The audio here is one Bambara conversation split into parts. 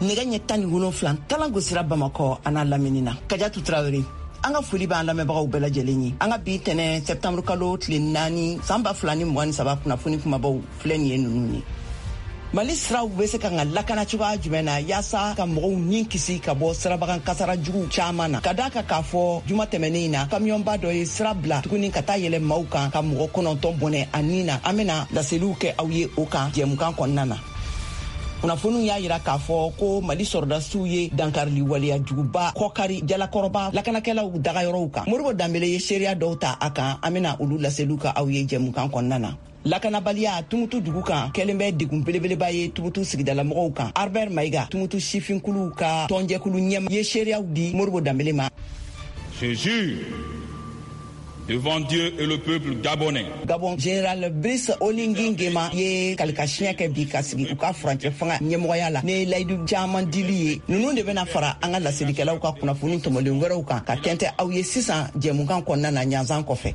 Nɛgɛ ɲɛ 17 talan gosira Bamakɔ a n'a lamini na. Kajatu Tarawele, an ka foli b'an lamɛnbagaw bɛɛ lajɛlen ye. An ka bi tɛnɛ sɛptanburu kalo tile 4 san 2023 kunnafoni kumabaw filɛ nin ye ninnu ye. Mali siraw bɛ se ka ka lakana cogoya jumɛn na yaasa ka mɔgɔw ni kisi ka bɔ sirabakan kasara jugu caman na, ka d'a kan k'a fɔ juma tɛmɛnen in na kamiyɔnba dɔ ye sira bila tuguni ka taa yɛlɛ maaw kan ka mɔgɔ 9 bɔnɛ a ni na. An bɛna laseliw kɛ aw ye o kan jɛmukan kɔnɔna na. Kunnafoniw y'a yira k'a fɔ ko Mali sɔrɔdasiw ye dankarili waleya juguba kɔkari Jalakɔrɔba lakanakɛlaw dagayɔrɔw kan. Modibo Danbele ye seereya dɔw ta a kan, an bɛna olu laseliw kɛ aw ye jɛmukan kɔnɔna na. Lakanabaliya Tumutu dugu kan kɛlen bɛ degun belebeleba ye Tumutu sigidalamɔgɔw kan. Albert Maïga, Tumutu sifinkuluw ka tɔnjɛkulu ɲɛma, ye seereyaw di Modibo Danbele ma. Je jure devant Dieu et le peuple gabonais. Gabon général Brice Oligui Nguema ye kalikasiɲɛ kɛ bi ka sigi u ka furancɛ fanga ɲɛmɔgɔya la ni layidu caman dili ye. Ninnu de bɛna fara an ka laselikɛlaw ka kunnafoni tɔmɔlen wɛrɛw kan ka tɛntɛ aw ye sisan jɛmukan kɔnɔna na ɲanzan kɔfɛ.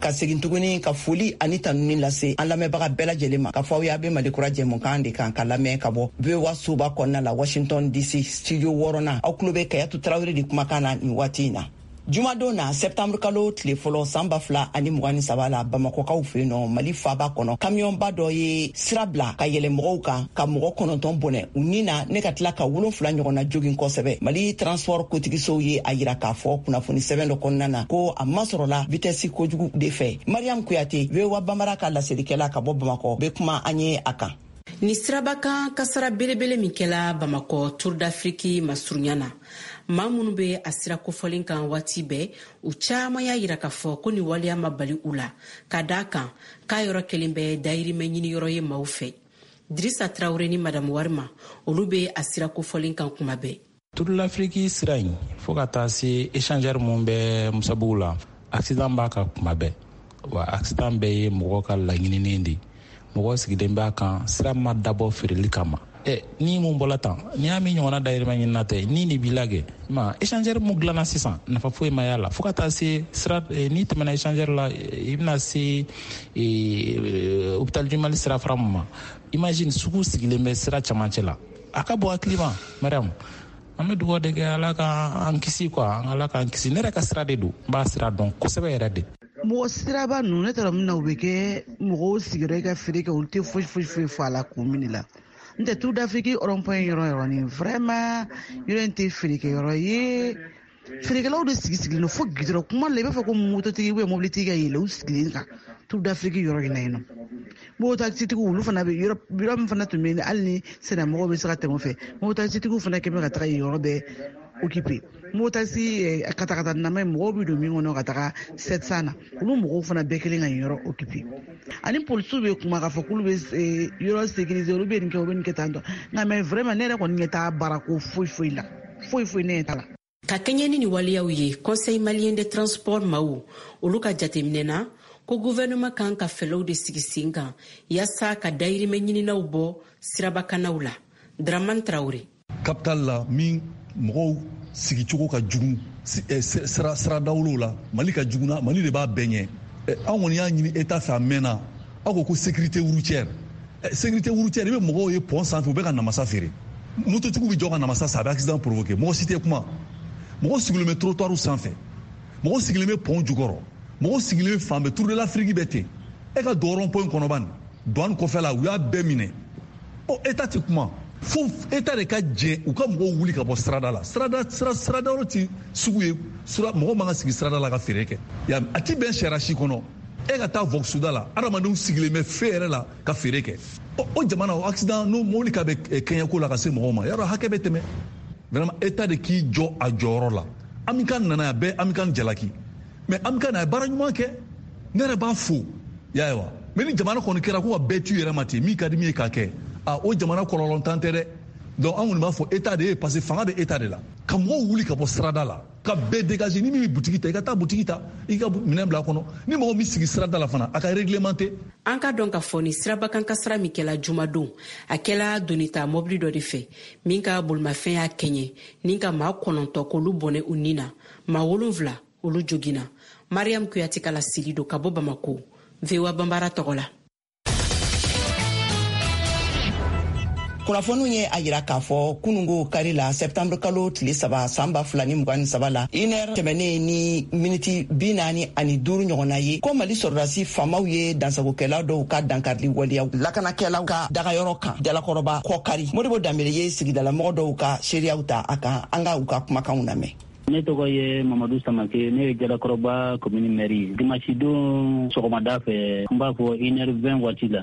Ka segin tuguni ka foli ani tanuni lase an lamɛnbaga bɛɛ lajɛlen ma ka fɔ aw ye a bɛ Mali kura jɛmukan de kan ka lamɛn ka bɔ VOA soba kɔnɔna la Washington DC studio 6nan. Aw tulo bɛ Kayatu Tarawele de kumakan na nin waati in na. Jumadon na sɛptanburu kalo tile fɔlɔ san 2023 la Bamakɔkaw fɛ yen nɔ Mali faaba kɔnɔ, kamiyɔnba dɔ ye sira bila ka yɛlɛ mɔgɔw kan ka mɔgɔ 9 bɔnɛ u ni na ne ka tila ka 7 ɲɔgɔnna jogin kosɛbɛ. Mali transport kotigisow ye a yira k'a fɔ kunnafoni sɛbɛn dɔ kɔnɔna na ko a masɔrɔla vitesse kojugu de fɛ. Mariam Kuyate, VOA Bambara ka laselikɛla ka bɔ Bamakɔ, bɛ kuma an ye a kan. Ni sirabakan kasara belebele min kɛla Bamakɔ Tour d'Afrique masurunya na, maa minnu bɛ a sira kofɔlen kan waati bɛɛ, u caman y'a yira k'a fɔ ko nin waleya ma bali u la, ka d'a kan k'a yɔrɔ kelen bɛ dayirimɛ ɲiniyɔrɔ ye maaw fɛ. Dirisa Tarawele ni Madamu Warima, olu bɛ a sira kofɔlen kan kuma bɛɛ. Tour d'Afrique sira in fo ka taa se échangeur mun bɛ Musabugu la, accident b'a kan kuma bɛɛ. Wa accident bɛɛ ye mɔgɔ ka laɲininen de ye. Mɔgɔ sigilen b'a kan, sira ma dabɔ feereli kama. Ni mun bɔla tan, n'i y'a min ɲɔgɔnna dayirimɛ ɲinina tɛ, ni nin b'i la kɛ. Ma échangeur mun dilanna sisan, nafa foyi ma y'a la. Fo ka taa se sira, n'i tɛmɛna échangeur la, i bɛna se, hôpital du Mali sira fara mun ma. Imagine sugu sigilen bɛ sira camancɛ la. A ka bon hakili ma, Mariam. An bɛ dugawu de kɛ Ala ka an kisi quoi, Ala k'an kisi. Ne yɛrɛ ka sira de don, n b'a sira dɔn kosɛbɛ yɛrɛ de. Mɔgɔ siraba ninnu, ne taara min na, u bɛ kɛ mɔgɔw sigiyɔrɔ ye ka feere kɛ, olu tɛ foyi foyi foyi fɔ a la k'u minɛ la. N tɛ Tour d'Afrique rond-point yɔrɔ yɔrɔ nin, vraiment yɔrɔ in tɛ feerekɛyɔrɔ ye. Feerekɛlaw de sigi sigilen don fo goudron kuma la, i b'a fɔ ko mototigi ou bien mobilitigi ka yɛlɛ u sigilen kan Tour d'Afrique yɔrɔ in na yen nɔ. Mototaxitigiw olu fana bɛ yɔrɔ, yɔrɔ min fana tun bɛ yen, hali ni sennamɔgɔw bɛ se ka tɛmɛ o fɛ, mototaxitigiw fana kɛlen bɛ ka taga yen yɔrɔ bɛɛ occupé. Mototaxi katakata nama ye, mɔgɔw bɛ don min kɔnɔ ka taga 700 na, olu mɔgɔw fana bɛɛ kelen ka yen yɔrɔ occupé. Ani polisiw bɛ kuma k'a fɔ k'olu bɛ yɔrɔ sécuriser, olu bɛ nin kɛ, olu bɛ nin kɛ tan tɔ. Nka mais vraiment ne yɛrɛ kɔni ɲɛ t'a baarako foyi foyi la, foyi foyi ne ɲɛ t'a la. Ka kɛɲɛ ni nin waleyaw ye, Conseil malien de transport maaw olu ka jateminɛ na ko gouvernement kan ka fɛlɛw de sigi sen kan yaasa ka dayirimɛ ɲininaw bɔ sirabakanaw la. Dramane Traoré. Capital la min mɔgɔw sigicogo ka jugu, sira dawolow la, Mali ka jugu na, Mali de b'a bɛɛ ɲɛ. An kɔni y'a ɲini État fɛ a mɛnna, aw ko ko sécurité routière. Sécurité routière, i bɛ mɔgɔw ye pont sanfɛ, u bɛ ka namasa feere. Mototigiw bɛ jɔ ka namasa san, a bɛ accident provoquer. Mɔgɔ si tɛ kuma. Mɔgɔ sigilen bɛ trottoir sanfɛ, mɔgɔ sigilen bɛ pont jukɔrɔ, mɔgɔ sigilen bɛ fan bɛɛ, Tour de l'Afrique bɛ ten. E ka don rond point kɔnɔ bani, douane kɔfɛ la, u y'a bɛɛ minɛ. Ɔ, État tɛ kuma. Fo État de ka jɛ u ka mɔgɔw wuli ka bɔ sirada la. Sirada, sira, sirada yɔrɔ ti sugu ye, sira, mɔgɔ man ka sigi sirada la ka feere kɛ. Ya, a ti bɛn sariya si kɔnɔ. E ka taa Voxuda la, adamadenw sigilen bɛ fe yɛrɛ la ka feere kɛ. Ɔ, o jamana, o accident, n'o mobili ka bɛ kɛɲɛko la ka se mɔgɔw ma, yarɔ hakɛ bɛ tɛmɛ. Vraiment, État de k'i jɔ a jɔyɔrɔ la. Amikan nana yan, bɛɛ Amikan jalaki. Mais Amikan a ye baara ɲuman kɛ. Ne yɛrɛ b'a fo. Ya ye wa? Mais ni jamana kɔni kɛra ko ka bɛɛ t'u yɛrɛ ma ten, min ka di min ye k'a kɛ, o jamana kɔlɔlɔntan tɛ dɛ. Donc an kɔni b'a fɔ État de ye, parce que fanga bɛ État de la. Ka mɔgɔw wuli ka bɔ sirada la. Ka bɛɛ dégager. Ni min bɛ butigi ta, i ka taa butigi ta, i ka minɛn bila a kɔnɔ. Ni mɔgɔ min sigi sirada la fana, a ka réglementer. An ka dɔn k'a fɔ ni sirabakan kasara min kɛla jumadon, a kɛla donita mɔbili dɔ de fɛ min ka bolimafɛn y'a kɛɲɛ ni ka maa 9 k'olu bɔnɛ u ni na, maa 7 olu joginna. Mariam Kuyate ka laseli don ka bɔ Bamako, VOA Banbara tɔgɔ la. Kunnafoniw ye a yira k'a fɔ kunungo kari la, sɛptanburu kalo tile 3, san 2023 la, 1h tɛmɛnen ni miniti 45 ɲɔgɔnna ye, ko Mali sɔrɔdasi faamaw ye dansagokɛla dɔw ka dankarili waleyaw lakanakɛlaw ka dagayɔrɔ kan Jalakɔrɔba kɔkari. Modibo Danbele ye sigidalamɔgɔ dɔw ka seereyaw ta a kan. An ka u ka kumakanw lamɛn. Ne tɔgɔ ye Mamadu Samake, ne ye Jalakɔrɔba commune maire ye. Dimanche don sɔgɔmada fɛ, n b'a fɔ 1h20 waati la,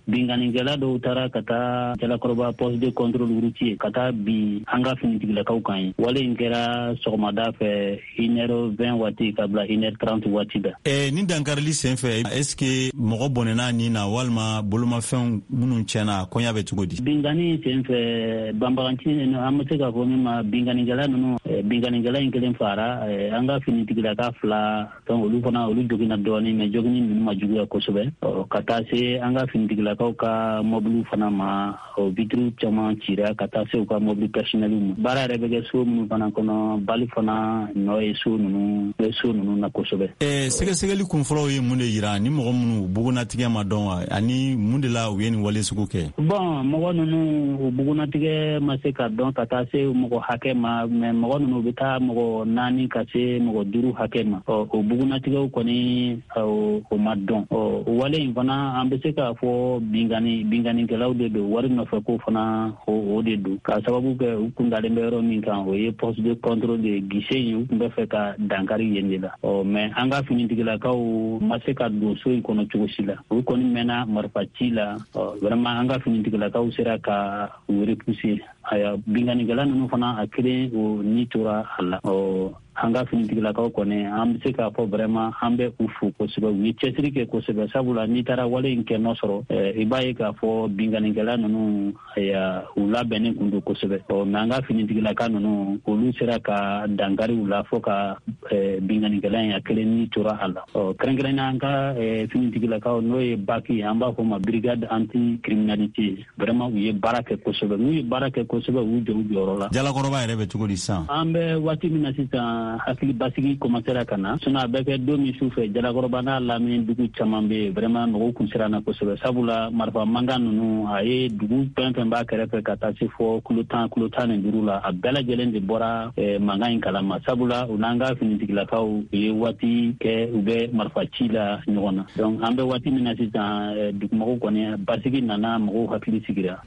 binkannikɛla dɔw taara ka taa Jalakɔrɔba poste de contrôle routier ka taa bin an ka finitigilakaw kan ye. Wale in kɛra sɔgɔmada fɛ 1h20 waati ka bila 1h30 waati la. Ni dankarili sen fɛ, est ce que mɔgɔ bɔnɛna nin na walima bolomafɛnw minnu tiɲɛna, koɲa bɛ cogo di? Binkanni sen fɛ, banbaganci, an bɛ se k'a fɔ min ma binkannikɛla ninnu, binkannikɛla in kelen fara, an ka finitigilaka 2, donc olu fana olu joginna dɔɔnin, mais joginni ninnu ma juguya kosɛbɛ, ka taa se an ka finitigilakaw ka mɔbiliw fana ma, vitre caman cira ka taa se u ka mɔbili personnel ma. Baara yɛrɛ bɛ kɛ so minnu fana kɔnɔ, bali fana nɔ ye so ninnu bɛ so ninnu na kosɛbɛ. Sɛgɛsɛgɛli kunfɔlɔw ye mun de yira ni mɔgɔ minnu bugunnatigɛ ma dɔn wa, ani mun de la u ye nin wale sugu kɛ? Bon, mɔgɔ ninnu u bugunnatigɛ ma se ka dɔn ka taa se mɔgɔ hakɛ ma, mais mɔgɔ ninnu u bɛ taa mɔgɔ 4 ka se mɔgɔ 5 hakɛ ma. O bugunnatigɛw kɔni o ma dɔn. O wale in fana, an bɛ se k'a fɔ binkannikɛlaw de don, wari nɔfɛ ko fana o de don, k'a sababu kɛ u kun dalen bɛ yɔrɔ min kan, o ye poste de contrôle de guichet in, u tun bɛ fɛ ka dankari yen de la. Mais an ka finitigilakaw ma se ka don so in kɔnɔ cogo si la, u kɔni mɛnna marifa ci la. Vraiment, an ka finitigilakaw sera ka u repousser. Aya, binkannikɛla ninnu fana, a kelen o ni tora a la. An ka finitigilakaw kɔni, an bɛ se k'a fɔ vraiment an bɛ u fo kosɛbɛ, u ye cɛsiri kɛ kosɛbɛ, sabula n'i taara wale in kɛ nɔ sɔrɔ, i b'a ye k'a fɔ binkannikɛla ninnu, aya, u labɛnnen kun don kosɛbɛ. Mais an ka finitigilaka ninnu, olu sera ka dankari u la fo ka binkannikɛla in, a kelen ni tora a la. Kɛrɛnkɛrɛnnenya an ka finitigilakaw, n'o ye BAC ye, an b'a fɔ ma brigade anti criminalité, vraiment u ye baara kɛ kosɛbɛ. N'u ye baara kɛ kosɛbɛ, u jɔ u jɔyɔrɔ la. Jalakɔrɔba yɛrɛ bɛ cogo di sisan? An bɛ waati min na sisan, hakili basigi commencera ka na, sinon a bɛ kɛ don min su fɛ, Jalakɔrɔba n'a lamini dugu caman bɛ yen, vraiment mɔgɔw kun siranna kosɛbɛ, sabula marifa mankan ninnu a ye dugu fɛn fɛn b'a kɛrɛfɛ ka taa se fɔ kilo 10, kilo 15 la, a bɛɛ lajɛlen de bɔra mankan in kalama, sabula u n'an ka finitigilakaw u ye waati kɛ u bɛ marifa ci la ɲɔgɔn na. Donc an bɛ waati min na sisan, dugumɔgɔw kɔni basigi nana, mɔgɔw hakili sigira.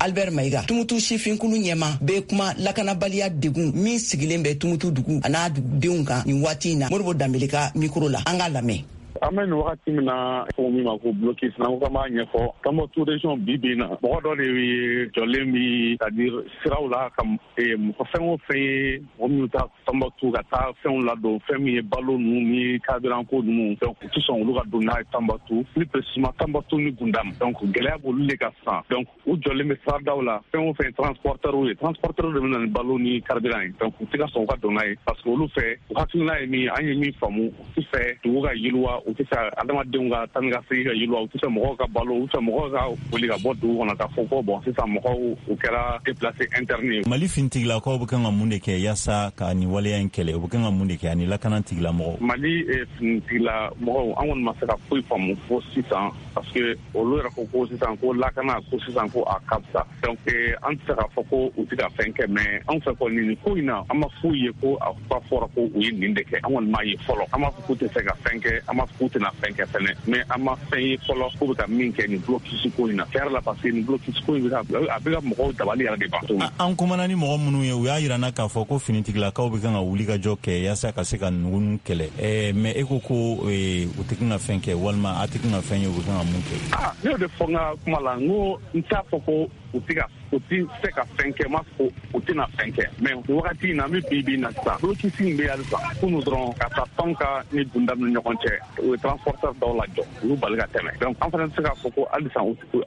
Albert Maïga, Tumutu sifinkulu ɲɛma, bɛ kuma lakanabaliya degun min sigilen bɛ Tumutu dugu a n'a dugudenw kan nin waati in na, Modibo Danbele ka mikro la, an k'a lamɛn. An bɛ nin wagati min na, ko min ma ko blocus, n'an ko k'an b'a ɲɛfɔ, Tombouctou région bi bi in na, mɔgɔ dɔ de ye jɔlen bi, c'est à dire siraw la, ka mɔgɔ fɛn o fɛn ye mɔgɔ minnu taa Tombouctou ka taa fɛnw ladon, fɛn min ye balo ninnu ni carburant ko ninnu, donc u tɛ sɔn olu ka don n'a ye Tombouctou, plus précisément Tombouctou ni Gundam. Donc gɛlɛya b'olu de kan sisan. Donc u jɔlen bɛ siradaw la, fɛn o fɛn transporteur ye, transporteur de bɛ na ni balo ni carburant ye, donc u tɛ ka sɔn u ka don n'a ye, parce que olu fɛ, u hakilina ye min, an ye min faamu, u tɛ fɛ dugu ka yiriwa, u tɛ fɛ adamadenw ka taa ni ka segin ka yiriwa, u tɛ fɛ mɔgɔw ka balo, u tɛ fɛ mɔgɔw ka boli ka bɔ dugu kɔnɔ k'a fɔ ko bon, sisan mɔgɔw u kɛra déplacé interne ye. Mali finitigilakaw bɛ kan ka mun de kɛ yaasa ka nin waleya in kɛlɛ? U bɛ kan ka mun de kɛ ani lakana tigilamɔgɔw? Mali finitigilamɔgɔw, an kɔni ma se ka foyi faamu fo sisan, parce que olu yɛrɛ ko ko sisan ko lakana ko sisan ko a ka fisa. Donc an tɛ se k'a fɔ ko u tɛ ka fɛn kɛ, mais anw fɛ kɔni nin ko in na, an ma foyi ye ko a fɔra ko u ye nin de kɛ. An kɔni m'a ye fɔlɔ. An b'a fɔ k'u tɛ se ka fɛn kɛ, an b'a fɔ k'u tɛna fɛn kɛ fɛnɛ, mais an ma fɛn ye fɔlɔ k'u bɛ ka min kɛ nin blocus ko in na. Tiɲɛ yɛrɛ la, parce que nin blocus ko in bɛ ka, a bɛ ka mɔgɔw dabali yɛrɛ de ban. An kumana ni mɔgɔ minnu ye, u y'a yira n na k'a fɔ ko finitigilakaw bɛ kan ka wuli ka jɔ kɛ yaasa ka se ka ninnu kɛlɛ, mais e ko ko u tɛ kan ka fɛn kɛ, walima a tɛ kan ka fɛn ye, u bɛ kan ka mun kɛ? Ah, ne y'o de fɔ n ka kuma la, n ko n t'a fɔ ko u tɛ ka U ti se ka fɛn kɛ, m'a fɔ u tɛna fɛn kɛ, mais nin wagati in na, an bɛ bi bi in na sisan, blocus in bɛ halisa. Kunu dɔrɔn, ka taa Tonka ni Gundam ni ɲɔgɔn cɛ, u ye transporteur dɔw lajɔ, u y'u bali ka tɛmɛ. Donc an fana bɛ se k'a fɔ ko halisa,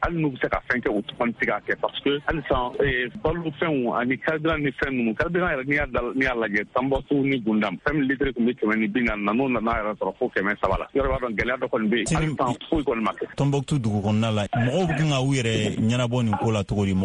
hali n'u bɛ se ka fɛn kɛ, u kɔni tɛ se k'a kɛ, parce que halisa balo fɛnw ani carburant ni fɛn ninnu, carburant yɛrɛ, n'i y'a lajɛ Tombouctou ni Gundam, fɛn min litre tun bɛ 140 na, n'o nana yɛrɛ sɔrɔ fo 300 la, yɔrɔ b'a dɔn gɛlɛya dɔ kɔni bɛ yen. Halisa foyi kɔni ma kɛ. Tombouctou dugu kɔnɔna la, mɔgɔw bɛ kan ka u yɛrɛ ɲɛnabɔ nin ko la cogo di?